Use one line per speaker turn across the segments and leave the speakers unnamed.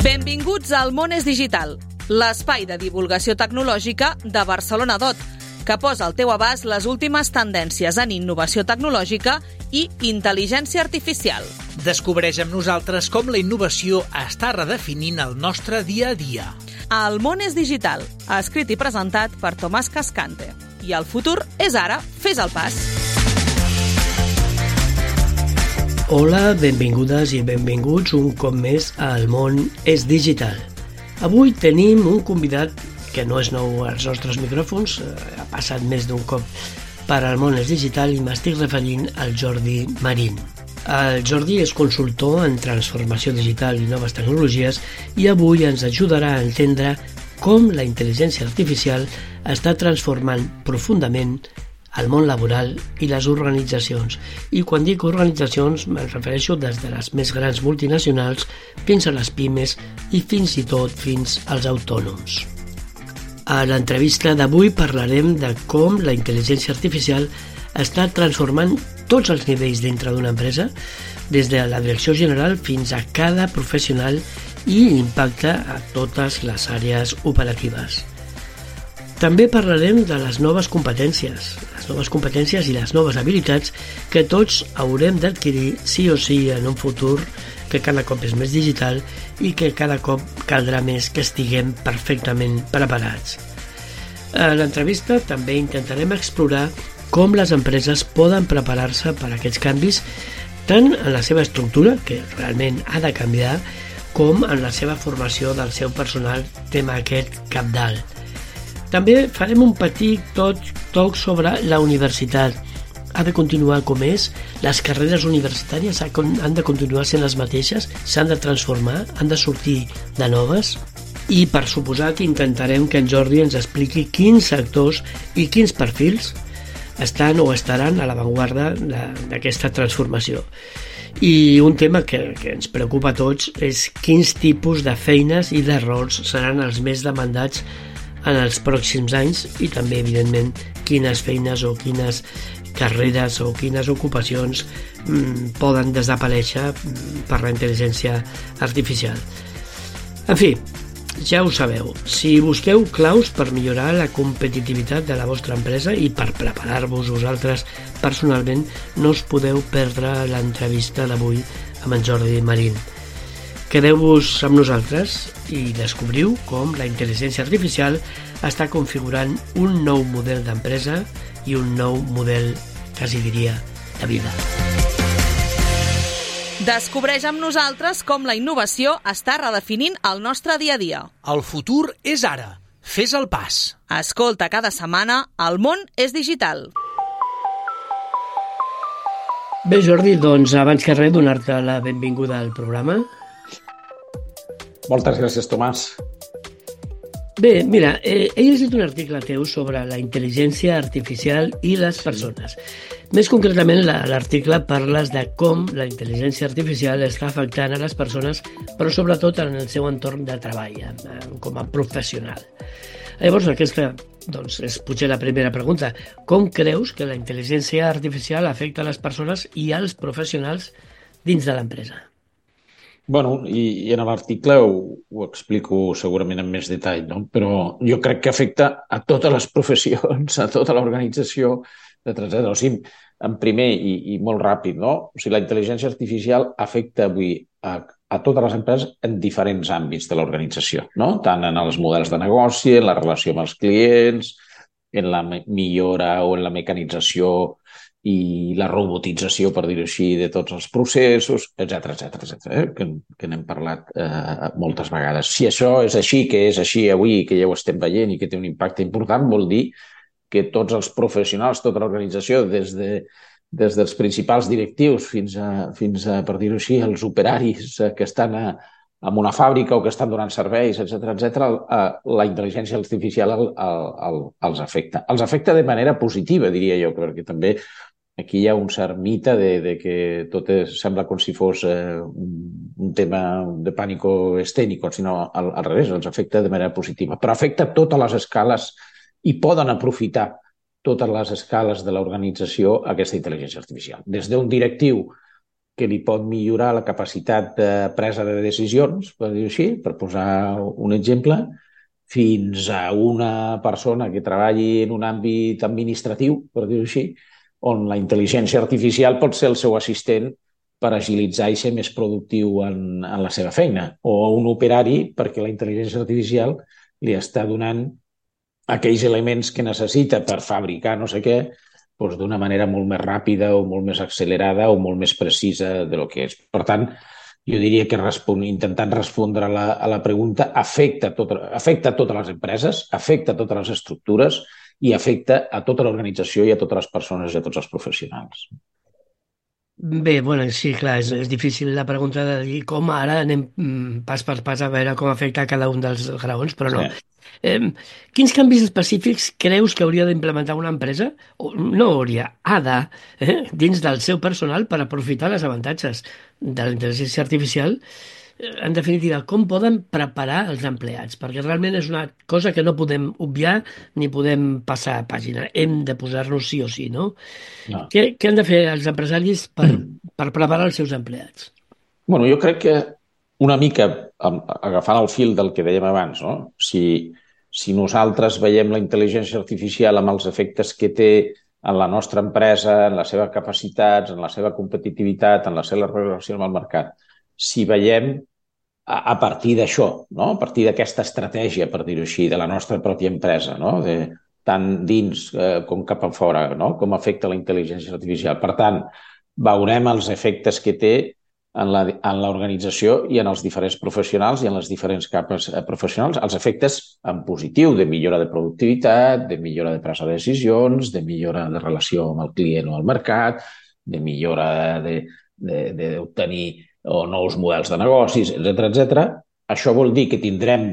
Benvinguts al Món és Digital, l'espai de divulgació tecnològica de Barcelona DOT, que posa al teu abast les últimes tendències en innovació tecnològica i intel·ligència artificial.
Descobreix amb nosaltres com la innovació està redefinint el nostre dia a dia.
El Món és Digital, escrit i presentat per Tomàs Cascante. I el futur és ara, fes el pas.
Hola, benvingudes i benvinguts un cop més al Món és Digital. Avui tenim un convidat que no és nou als nostres micròfons, ha passat més d'un cop per al Món és Digital i m'estic referint al Jordi Marín. El Jordi és consultor en transformació digital i noves tecnologies i avui ens ajudarà a entendre com la intel·ligència artificial està transformant profundament el món laboral i les organitzacions. I quan dic organitzacions me'n refereixo des de les més grans multinacionals fins a les pimes i fins i tot fins als autònoms. A l'entrevista d'avui parlarem de com la intel·ligència artificial està transformant tots els nivells dintre d'una empresa, des de la direcció general fins a cada professional i impacta a totes les àrees operatives. També parlarem de les noves competències i les noves habilitats que tots haurem d'adquirir sí o sí en un futur que cada cop és més digital i que cada cop caldrà més que estiguem perfectament preparats. A l'entrevista també intentarem explorar com les empreses poden preparar-se per a aquests canvis tant en la seva estructura, que realment ha de canviar, com en la seva formació del seu personal, tema aquest cabdal. També farem un petit toc sobre la universitat. Ha de continuar com és? Les carreres universitàries han de continuar sent les mateixes? S'han de transformar? Han de sortir de noves? I, per suposat, intentarem que en Jordi ens expliqui quins sectors i quins perfils estan o estaran a l'avantguarda d'aquesta transformació. I un tema que ens preocupa a tots és quins tipus de feines i de rols seran els més demandats en els pròxims anys i també, evidentment, quines feines o quines carreres o quines ocupacions poden desaparèixer per la intel·ligència artificial. En fi, ja ho sabeu, si busqueu claus per millorar la competitivitat de la vostra empresa i per preparar-vos vosaltres personalment, no us podeu perdre l'entrevista d'avui amb en Jordi Marín. Quedeu-vos amb nosaltres i descobriu com la intel·ligència artificial està configurant un nou model d'empresa i un nou model, quasi diria, de vida.
Descobreix amb nosaltres com la innovació està redefinint el nostre dia a dia.
El futur és ara. Fes el pas.
Escolta cada setmana El Món és Digital.
Bé, Jordi, doncs abans que res donar-te la benvinguda al programa.
Moltes gràcies, Tomàs.
Bé, mira, he llegit un article teu sobre la intel·ligència artificial i les persones. Més concretament, l'article parles de com la intel·ligència artificial està afectant a les persones, però sobretot en el seu entorn de treball, com a professional. Llavors, aquesta és potser la primera pregunta. Com creus que la intel·ligència artificial afecta a les persones i als professionals dins de l'empresa?
Bueno, i en l'article ho explico segurament en més detall, no? Però jo crec que afecta a totes les professions, a tota l'organització, etc. O sigui, en primer i molt ràpid, no? O sigui, la intel·ligència artificial afecta avui a totes les empreses en diferents àmbits de l'organització, no? Tant en els models de negoci, en la relació amb els clients, en la millora o en la mecanització i la robotització, per dir-ho així, de tots els processos, etc. Que n'hem parlat moltes vegades. Si això és així, que és així avui, que ja ho estem veient i que té un impacte important, vol dir que tots els professionals, tota l'organització, des dels principals directius fins a, per dir-ho així, els operaris que estan en una fàbrica o que estan donant serveis, etc., la intel·ligència artificial els afecta. Els afecta de manera positiva, diria jo, perquè també aquí hi ha un cert mite de que tot sembla com si fos un tema de pànico escènic, sinó al revés, els afecta de manera positiva. Però afecta totes les escales i poden aprofitar totes les escales de l'organització aquesta intel·ligència artificial. Des d'un directiu que li pot millorar la capacitat de presa de decisions, per dir-ho així, per posar un exemple, fins a una persona que treballi en un àmbit administratiu, per dir-ho així, on la intel·ligència artificial pot ser el seu assistent per agilitzar i ser més productiu en la seva feina, o un operari perquè la intel·ligència artificial li està donant aquells elements que necessita per fabricar no sé què, doncs d'una manera molt més ràpida o molt més accelerada o molt més precisa de lo que és. Per tant, jo diria que intentant respondre a la pregunta afecta a totes les empreses, afecta a totes les estructures i afecta a tota l'organització i a totes les persones i a tots els professionals.
Bé, bueno, sí, clar, és difícil la pregunta de dir com ara anem pas per pas a veure com afecta cada un dels graons, però no.
Sí.
Quins canvis específics creus que hauria d'implementar una empresa, o no hauria, ha de, dins del seu personal per aprofitar els avantatges de la intel·ligència artificial? En definitiva, com poden preparar els empleats? Perquè realment és una cosa que no podem obviar ni podem passar a pàgina. Hem de posar-nos sí o sí, no?
No.
Què han de fer els empresaris per preparar els seus empleats?
Bueno, jo crec que una mica, agafant el fil del que dèiem abans, no? Si nosaltres veiem la intel·ligència artificial amb els efectes que té en la nostra empresa, en les seves capacitats, en la seva competitivitat, en la seva relació amb el mercat, si veiem a partir d'això, no? A partir d'aquesta estratègia, per dir-ho així, de la nostra pròpia empresa, no? Tant dins com cap a fora, no? Com afecta la intel·ligència artificial. Per tant, veurem els efectes que té en l'organització i en els diferents professionals i en les diferents capes professionals, els efectes en positiu de millora de productivitat, de millora de presa de decisions, de millora de relació amb el client o el mercat, de millora d'obtenir nous models de negocis, etc. Això vol dir que tindrem,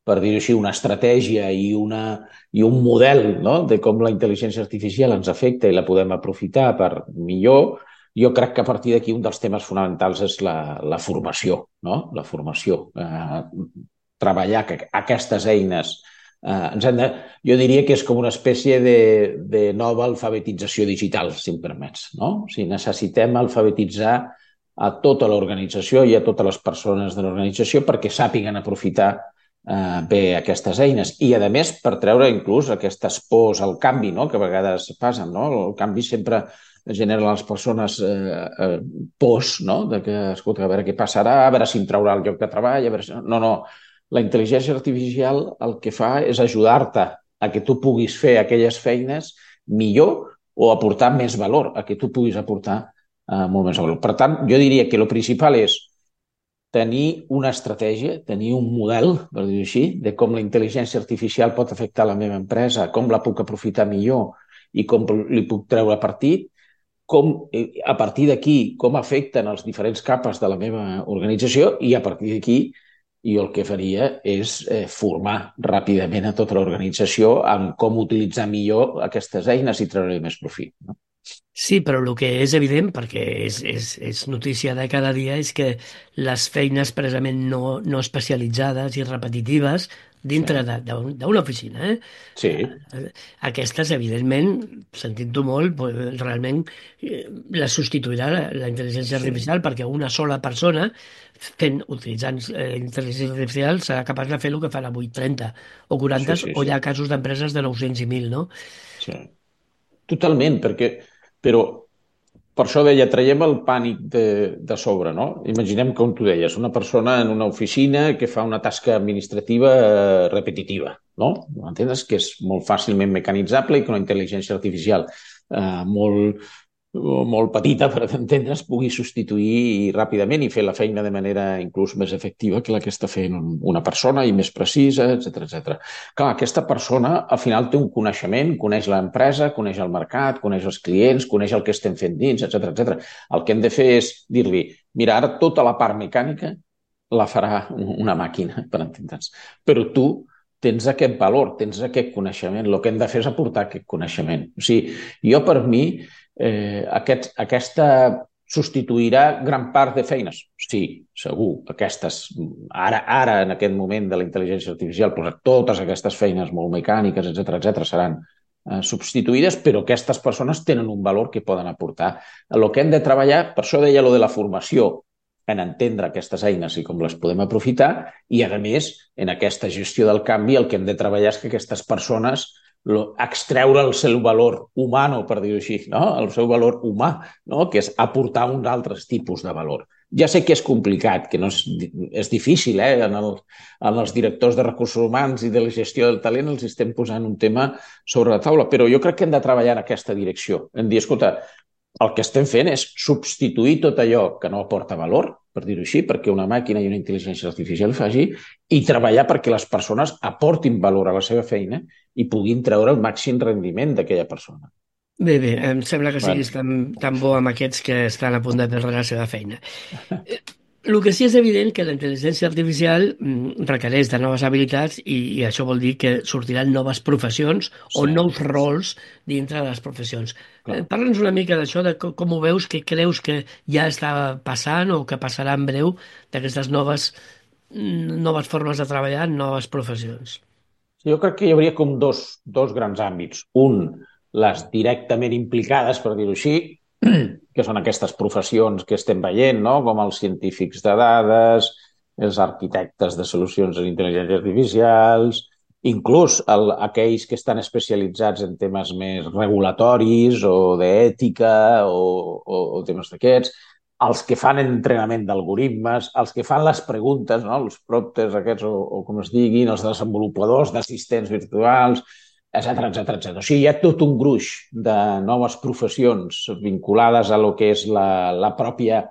per dir-ho així, una estratègia i un model, no?, de com la intel·ligència artificial ens afecta i la podem aprofitar per millor. Jo crec que a partir d'aquí un dels temes fonamentals és la formació, no? La formació. Treballar aquestes eines. Jo diria que és com una espècie de nova alfabetització digital, si em permets, no? O sigui, necessitem alfabetitzar a tota l'organització i a totes les persones de l'organització perquè sàpiguen aprofitar bé aquestes eines i, a més, per treure inclús aquestes pors al canvi, no?, que a vegades passen, no? El canvi sempre genera a les persones pors, no?, de que, escolta, a veure què passarà, a veure si em traurà el lloc de treball, a veure si... No, la intel·ligència artificial el que fa és ajudar-te a que tu puguis fer aquelles feines millor o aportar més valor, a que tu puguis aportar molt més valor. Per tant, jo diria que el principal és tenir una estratègia, tenir un model, per dir-ho així, de com la intel·ligència artificial pot afectar la meva empresa, com la puc aprofitar millor i com li puc treure partit, a partir d'aquí, com afecten els diferents capes de la meva organització i a partir d'aquí jo el que faria és formar ràpidament a tota l'organització en com utilitzar millor aquestes eines i treure-hi més profit, no?
Sí, però el que és evident, perquè és notícia de cada dia, és que les feines precisament no especialitzades i repetitives dintre d'una oficina,
Sí.
Aquestes, evidentment, sentint-ho molt, realment les substituirà la intel·ligència artificial perquè una sola persona utilitzant intel·ligència artificial serà capaç de fer el que fan avui 30 o 40 o hi ha casos d'empreses de 900 i 1.000, no?
Sí. Totalment, però per això deia, traiem el pànic de sobre, no? Imaginem, com tu deies, una persona en una oficina que fa una tasca administrativa repetitiva, no? Entens? Que és molt fàcilment mecanitzable i que una intel·ligència artificial molt petita, per entendre's, pugui substituir ràpidament i fer la feina de manera inclús més efectiva que la que està fent una persona i més precisa, etc. Clar, aquesta persona al final té un coneixement, coneix l'empresa, coneix el mercat, coneix els clients, coneix el que estem fent dins, etc. El que hem de fer és dir-li, mira, ara tota la part mecànica la farà una màquina, per entendre'ns. Però tu tens aquest valor, tens aquest coneixement. El que hem de fer és aportar aquest coneixement. O sigui, jo per mi aquesta substituirà gran part de feines? Sí, segur. Ara, en aquest moment de la intel·ligència artificial, totes aquestes feines molt mecàniques, etc., seran substituïdes, però aquestes persones tenen un valor que poden aportar. El que hem de treballar, per això deia lo de la formació, en entendre aquestes eines i com les podem aprofitar, i a més, en aquesta gestió del canvi, el que hem de treballar és que aquestes persones extreure el seu valor humà, per dir-ho així, no? El seu valor humà, no? Que és aportar uns altres tipus de valor. Ja sé que és complicat, que no és difícil, en els directors de recursos humans i de la gestió del talent els estem posant un tema sobre la taula, però jo crec que hem de treballar en aquesta direcció, en dir, escolta, el que estem fent és substituir tot allò que no aporta valor, per dir-ho així, perquè una màquina i una intel·ligència artificial faci, i treballar perquè les persones aportin valor a la seva feina i puguin treure el màxim rendiment d'aquella persona.
Bé, em sembla que siguis tan bo amb aquests que estan a punt de perdre la seva feina. El que sí és evident que la intel·ligència artificial requereix de noves habilitats i això vol dir que sortiran noves professions o nous rols dintre de les professions. Parla'ns una mica d'això, de com ho veus, què creus que ja està passant o que passarà en breu d'aquestes noves formes de treballar en noves professions.
Jo crec que hi hauria com dos grans àmbits. Un, les directament implicades, per dir-ho així, que són aquestes professions que estem veient, no? Com els científics de dades, els arquitectes de solucions d'intel·ligència artificials, inclús aquells que estan especialitzats en temes més regulatoris o d'ètica o temes d'aquests, els que fan entrenament d'algoritmes, els que fan les preguntes, no? Els prompters aquests o com es diguin, els desenvolupadors d'assistents virtuals, etcètera. O sigui, hi ha tot un gruix de noves professions vinculades a lo que és la pròpia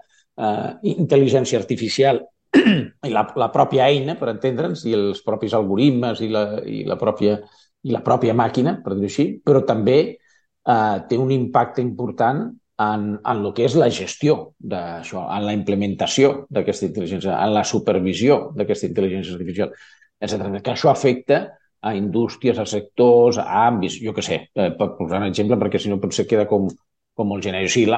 intel·ligència artificial i la pròpia eina, per entendre'ns, i els propis algoritmes i la pròpia màquina, per dir-ho així, però també té un impacte important en el que és la gestió d'això, en la implementació d'aquesta intel·ligència, en la supervisió d'aquesta intel·ligència artificial, etcètera. Que això afecta a indústries, a sectors, a àmbits, jo què sé, per posar un exemple, perquè si no potser queda com molt genèric. O sigui,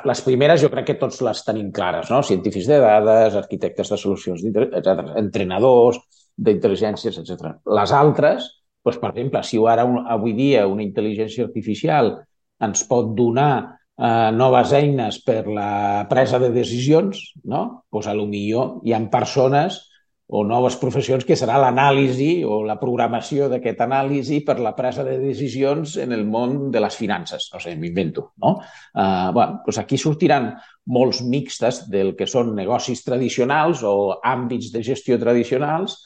les primeres jo crec que tots les tenim clares, no? Científics de dades, arquitectes de solucions, etc., entrenadors d'intel·ligències, etc. Les altres, doncs, per exemple, si ara avui dia una intel·ligència artificial ens pot donar noves eines per la presa de decisions, no? Doncs potser hi ha persones o noves professions que serà l'anàlisi o la programació d'aquesta anàlisi per la presa de decisions en el món de les finances. No sé, m'invento, no? Doncs aquí sortiran molts mixtes del que són negocis tradicionals o àmbits de gestió tradicionals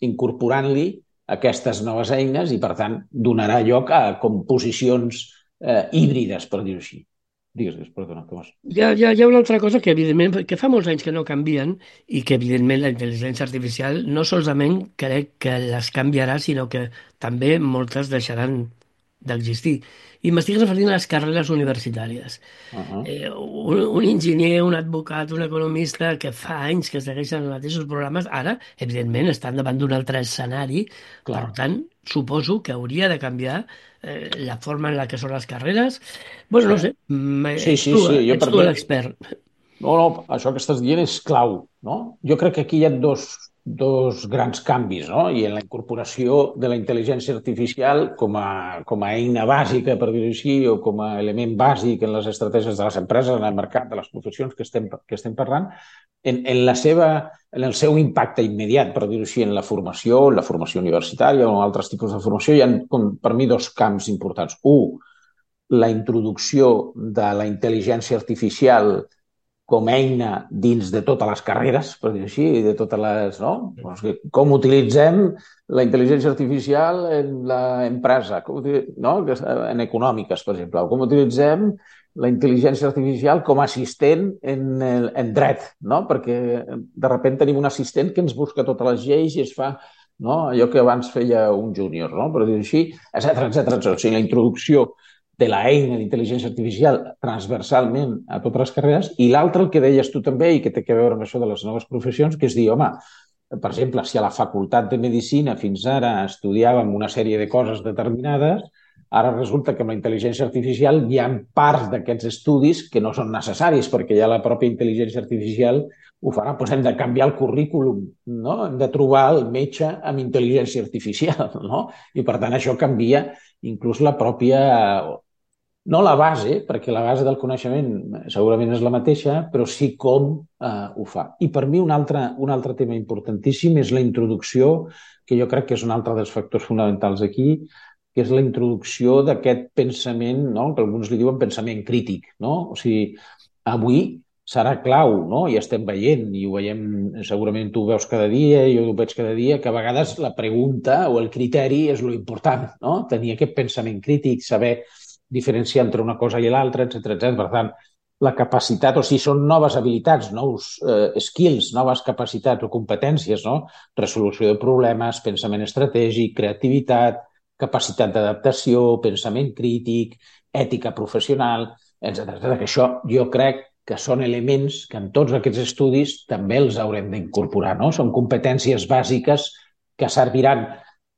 incorporant-li aquestes noves eines i, per tant, donarà lloc a composicions híbrides, per dir-ho així. Digues, perdona, què vas?
Hi ha una altra cosa que, evidentment, que fa molts anys que no canvien i que, evidentment, la intel·ligència artificial no solament crec que les canviarà, sinó que també moltes deixaran d'existir. I m'estic referint a les carreres universitàries. Un enginyer, un advocat, un economista que fa anys que segueixen els mateixos programes, ara, evidentment, estan davant d'un altre escenari. Per tant, suposo que hauria de canviar la forma en la que són les carreres. Bueno, no sé, ets tu l'expert.
No, això que estàs dient és clau, no? Jo crec que aquí hi ha dos grans canvis, no? I en la incorporació de la intel·ligència artificial com a eina bàsica, per dir-ho així, o com a element bàsic en les estratègies de les empreses, en el mercat, de les professions que estem parlant, en el seu impacte immediat, per dir-ho així, en la formació universitària o en altres tipus de formació, hi ha, per mi, dos camps importants. Un, la introducció de la intel·ligència artificial com a eina dins de totes les carreres, per dir-ho així, de totes les... No? Com utilitzem la intel·ligència artificial en l'empresa, no? En econòmiques, per exemple. Com utilitzem la intel·ligència artificial com a assistent en dret, no? Perquè de sobte tenim un assistent que ens busca totes les lleis i es fa, no? Allò que abans feia un júnior, no? Per dir-ho així, etcètera. O sigui, la introducció de l'eina d'intel·ligència artificial transversalment a totes les carreres, i l'altre, el que deies tu també, i que té a veure amb això de les noves professions, que és dir, home, per exemple, si a la facultat de Medicina fins ara estudiàvem una sèrie de coses determinades, Ara resulta que amb la intel·ligència artificial hi ha parts d'aquests estudis que no són necessaris perquè ja la pròpia intel·ligència artificial ho farà. Doncs hem de canviar el currículum, no? Hem de trobar el metge amb intel·ligència artificial, no? I per tant això canvia inclús la pròpia... No la base, perquè la base del coneixement segurament és la mateixa, però sí com ho fa. I per mi un altre tema importantíssim és la introducció, que jo crec que és un altre dels factors fonamentals aquí, que és la introducció d'aquest pensament, no? Que alguns li diuen pensament crític. No? O sigui, avui serà clau, no? I estem veient, i ho veiem, segurament tu ho veus cada dia, jo ho veig cada dia, que a vegades la pregunta o el criteri és lo important, no? Tenir aquest pensament crític, saber diferenciar entre una cosa i l'altra, etc. Per tant, la capacitat, o sigui, són noves habilitats, nous skills, noves capacitats o competències, no? Resolució de problemes, pensament estratègic, creativitat, capacitat d'adaptació, pensament crític, ètica professional, etc. Que això jo crec que són elements que en tots aquests estudis també els haurem d'incorporar, no? Són competències bàsiques que serviran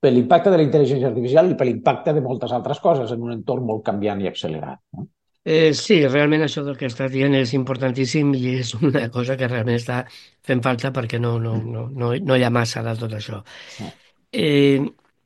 per l'impacte de la intel·ligència artificial i per l'impacte de moltes altres coses en un entorn molt canviant i accelerat. No?
Sí, realment això del que estàs dient és importantíssim i és una cosa que realment està fent falta perquè no hi ha massa de tot això.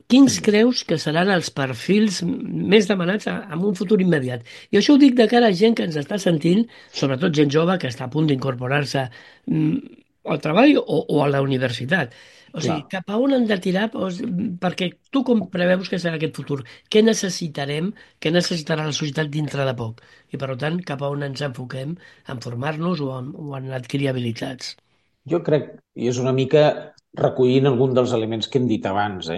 Quins creus que seran els perfils més demanats en un futur immediat? I això ho dic de cara a gent que ens està sentint, sobretot gent jove que està a punt d'incorporar-se al treball o a la universitat. O sigui, cap a on han de tirar? Perquè tu com preveus que serà aquest futur? Què necessitarem? Què necessitarà la societat dintre de poc? I, per tant, cap a on ens enfoquem en formar-nos o en adquirir habilitats?
Jo crec, i és una mica recollint algun dels elements que hem dit abans,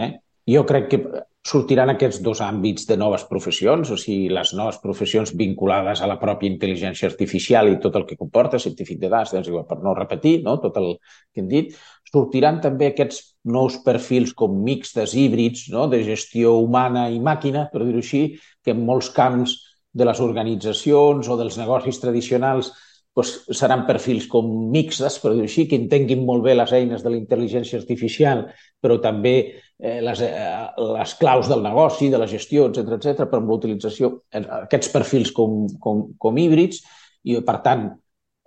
jo crec que sortiran aquests dos àmbits de noves professions, o sigui, les noves professions vinculades a la pròpia intel·ligència artificial i tot el que comporta, científic de dades, per no repetir, no? Tot el que hem dit. Sortiran també aquests nous perfils com mixtes, híbrids, no? De gestió humana i màquina, per dir-ho així, que en molts camps de les organitzacions o dels negocis tradicionals doncs seran perfils com mixtes, per dir-ho així, que entenguin molt bé les eines de la intel·ligència artificial, però també les claus del negoci, de la gestió, etc però amb la utilització, aquests perfils com híbrids, i per tant,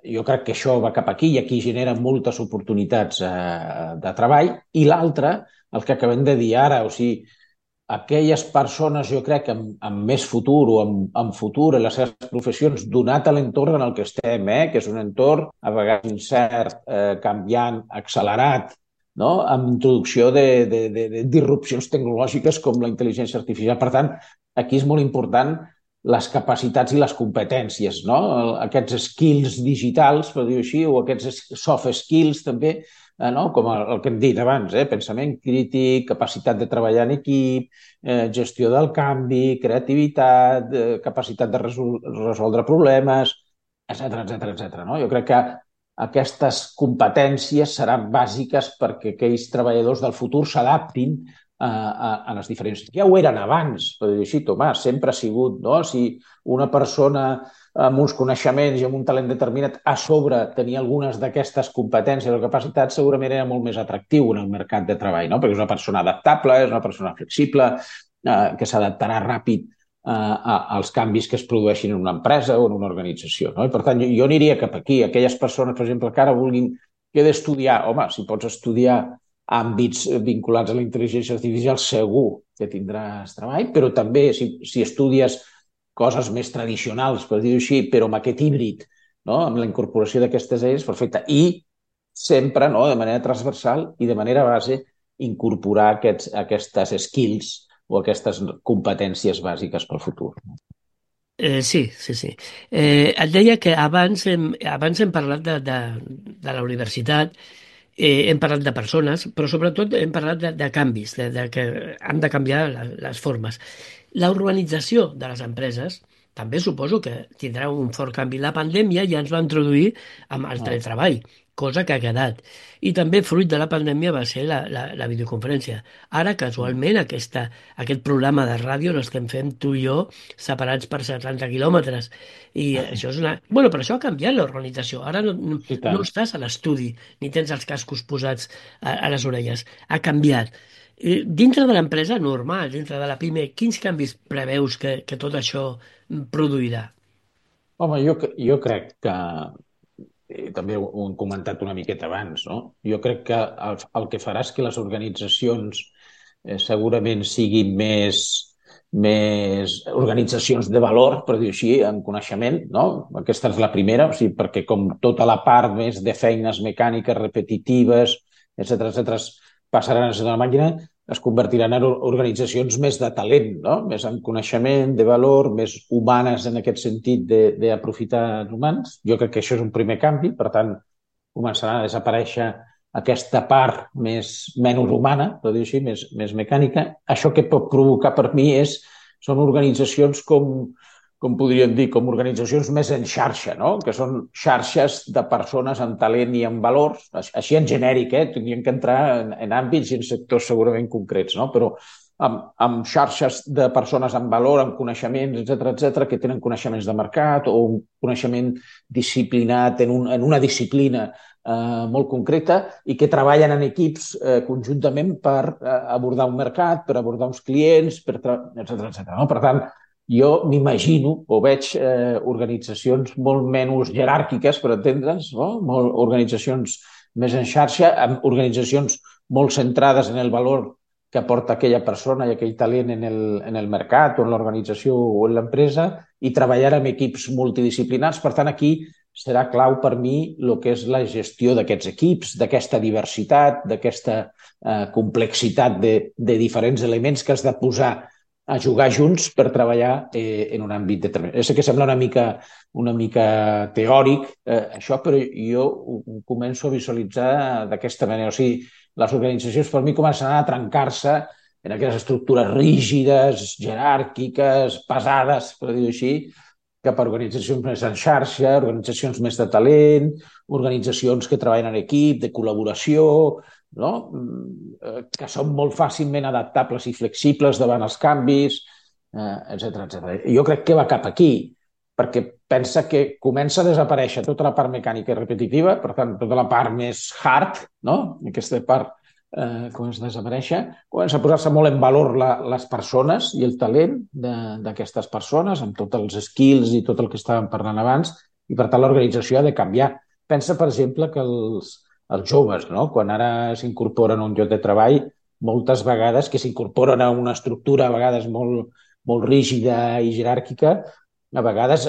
jo crec que això va cap aquí i aquí genera moltes oportunitats de treball. I l'altre, el que acabem de dir ara, o sigui, aquelles persones, jo crec, amb més futur o amb futur en les seves professions, donat a l'entorn en el que estem, que és un entorn a vegades incert, canviant, accelerat, no? Amb introducció de disrupcions tecnològiques com la intel·ligència artificial. Per tant, aquí és molt important les capacitats i les competències, no? Aquests skills digitals, per dir-ho així, o aquests soft skills també, no? Com el que hem dit abans, pensament crític, capacitat de treballar en equip, gestió del canvi, creativitat, capacitat de resoldre problemes, etc. No? Jo crec que aquestes competències seran bàsiques perquè aquells treballadors del futur s'adaptin a les diferents... Ja ho eren abans, per dir-ho així, Tomàs, sempre ha sigut, no? Si una persona amb uns coneixements i amb un talent determinat a sobre tenia algunes d'aquestes competències o capacitats, segurament era molt més atractiu en el mercat de treball, no? Perquè és una persona adaptable, és una persona flexible, que s'adaptarà ràpid als canvis que es produeixin en una empresa o en una organització. No? I per tant, jo aniria cap aquí. Aquelles persones, per exemple, que ara vulguin que he d'estudiar, home, si pots estudiar àmbits vinculats a la intel·ligència artificial, segur que tindràs treball, però també si estudies coses més tradicionals, per dir-ho així, però amb aquest híbrid, no? Amb la incorporació d'aquestes eines, perfecte. I sempre, no? De manera transversal i de manera base, incorporar aquestes skills o aquestes competències bàsiques pel futur.
Sí. Et deia que abans hem parlat de la universitat, hem parlat de persones, però sobretot hem parlat de canvis, de que han de canviar les formes. La urbanització de les empreses també suposo que tindrà un fort canvi. La pandèmia ja ens va introduir amb el teletreball cosa que ha quedat. I també fruit de la pandèmia va ser la videoconferència. Ara, casualment, aquest programa de ràdio l'estem fent tu i jo separats per 70 quilòmetres. I això és una... Bueno, però això ha canviat l'organització. Ara
I
no
tant.
estàs a l'estudi ni tens els cascos posats a les orelles. Ha canviat. Dintre de l'empresa normal, dintre de la PIME, quins canvis preveus que tot això produirà?
Home, jo crec que, també ho hem comentat una miqueta abans, no? Jo crec que el que farà és que les organitzacions segurament siguin més organitzacions de valor, per dir-ho així, en coneixement, no? Aquesta és la primera, o sigui, perquè com tota la part més de feines mecàniques repetitives, etc passaran a ser de la màquina, es convertiran en organitzacions més de talent, no? Més en coneixement, de valor, més humanes en aquest sentit d'aprofitar els humans. Jo crec que això és un primer canvi, per tant, començarà a desaparèixer aquesta part menys humana, per dir-ho així, més mecànica. Això que pot provocar per mi són organitzacions com podríem dir, com organitzacions més en xarxa, no? Que són xarxes de persones amb talent i amb valors, així en genèric, tindríem que entrar en àmbits i en sectors segurament concrets, no? Però amb xarxes de persones amb valor, amb coneixements, etc que tenen coneixements de mercat o un coneixement disciplinat en una disciplina molt concreta i que treballen en equips conjuntament per abordar un mercat, per abordar uns clients, etc. No? Per tant, jo m'imagino o veig organitzacions molt menys jeràrquiques, per entendre'ns, no? Organitzacions més en xarxa, amb organitzacions molt centrades en el valor que aporta aquella persona i aquell talent en el mercat o en l'organització o en l'empresa i treballar amb equips multidisciplinars. Per tant, aquí serà clau per mi el que és la gestió d'aquests equips, d'aquesta diversitat, d'aquesta complexitat de diferents elements que has de posar a jugar junts per treballar en un àmbit determinat. Sé que sembla una mica teòric això, però jo ho començo a visualitzar d'aquesta manera. O sigui, les organitzacions per mi començaran a trencar-se en aquelles estructures rígides, jeràrquiques, pesades, per dir-ho així, cap a organitzacions més en xarxa, organitzacions més de talent, organitzacions que treballen en equip, de col·laboració, no? Que són molt fàcilment adaptables i flexibles davant els canvis, etc. Jo crec que va cap aquí, perquè pensa que comença a desaparèixer tota la part mecànica i repetitiva, per tant, tota la part més hard, no? Aquesta part comença a desaparèixer, comença a posar-se molt en valor les persones i el talent d'aquestes persones, amb tots els skills i tot el que estàvem parlant abans, i per tant l'organització ha de canviar. Pensa, per exemple, que els joves, no? Quan ara s'incorporen a un lloc de treball, moltes vegades que s'incorporen a una estructura a vegades molt rígida i jeràrquica, a vegades,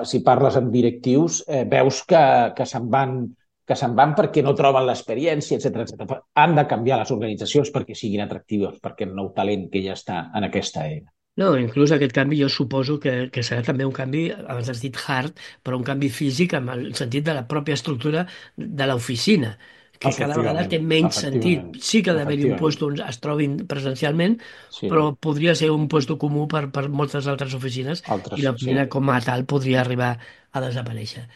si parles amb directius, veus que se'n van perquè no troben l'experiència, etc. Han de canviar les organitzacions perquè siguin atractives, perquè el nou talent que ja està en aquesta era.
No, inclús aquest canvi jo suposo que serà també un canvi, abans has dit hard, però un canvi físic en el sentit de la pròpia estructura de l'oficina, que cada vegada té menys sentit. Sí que ha d'haver-hi un lloc on es trobin presencialment, sí, però podria ser un lloc comú per moltes altres oficines i l'oficina com a tal podria arribar a desaparèixer.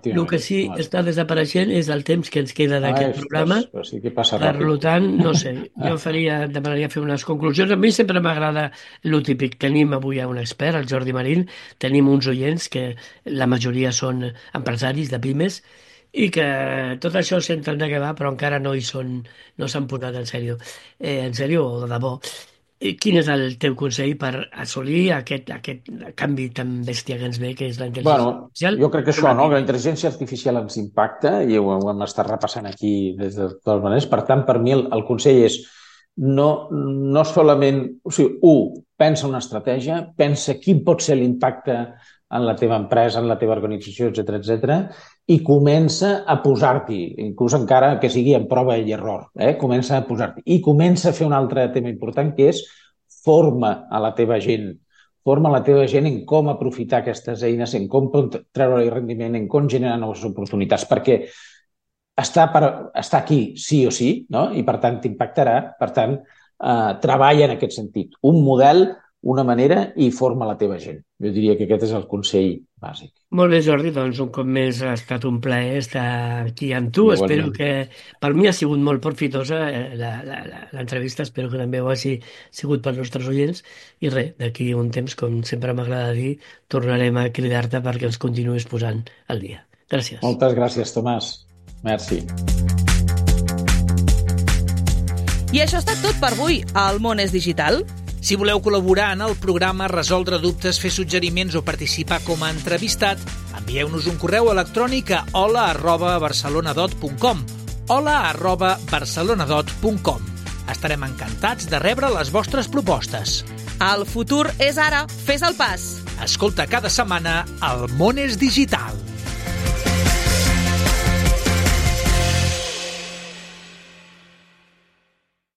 El que sí està desapareixent és el temps que ens queda d'aquest programa.
Sí que passa
ràpid. Per tant, no sé, jo demanaria fer unes conclusions. A mi sempre m'agrada el típic. Tenim avui un expert, el Jordi Marín, tenim uns oients que la majoria són empresaris de pimes i que tot això senten de què va, però encara no s'han posat en sèrio o de debò. Quin és el teu consell per assolir aquest canvi tan bèstia que ens ve, que és la intel·ligència artificial?
Jo crec que això, no? Que la intel·ligència artificial ens impacta i ho hem estat repassant aquí des de totes maneres. Per tant, per mi el consell és no solament... O sigui, pensa una estratègia, pensa quin pot ser l'impacte en la teva empresa, en la teva organització, etc. I comença a posar-t'hi, inclús encara que sigui en prova i error, comença a posar-t'hi. I comença a fer un altre tema important, que és forma a la teva gent. Forma la teva gent en com aprofitar aquestes eines, en com treure-hi rendiment, en com generar noves oportunitats, perquè està aquí sí o sí, no? I per tant t'impactarà, per tant treballa en aquest sentit. Un model una manera i forma la teva gent. Jo diria que aquest és el consell bàsic.
Molt bé, Jordi, doncs un cop més ha estat un plaer estar aquí amb tu.
Igualment.
Espero que per mi ha sigut molt profitosa l'entrevista, espero que també ho hagi sigut pels nostres oients i res, d'aquí un temps, com sempre m'agrada dir, tornarem a cridar-te perquè ens continuïs posant al dia. Gràcies.
Moltes gràcies, Tomàs. Merci.
I això ha estat tot per avui. El món és digital.
Si voleu col·laborar en el programa, resoldre dubtes, fer suggeriments o participar com a entrevistat, envieu-nos un correu electrònic a hola@barcelonadot.com hola@barcelonadot.com. Estarem encantats de rebre les vostres propostes.
El futur és ara. Fes el pas.
Escolta cada setmana El món és digital.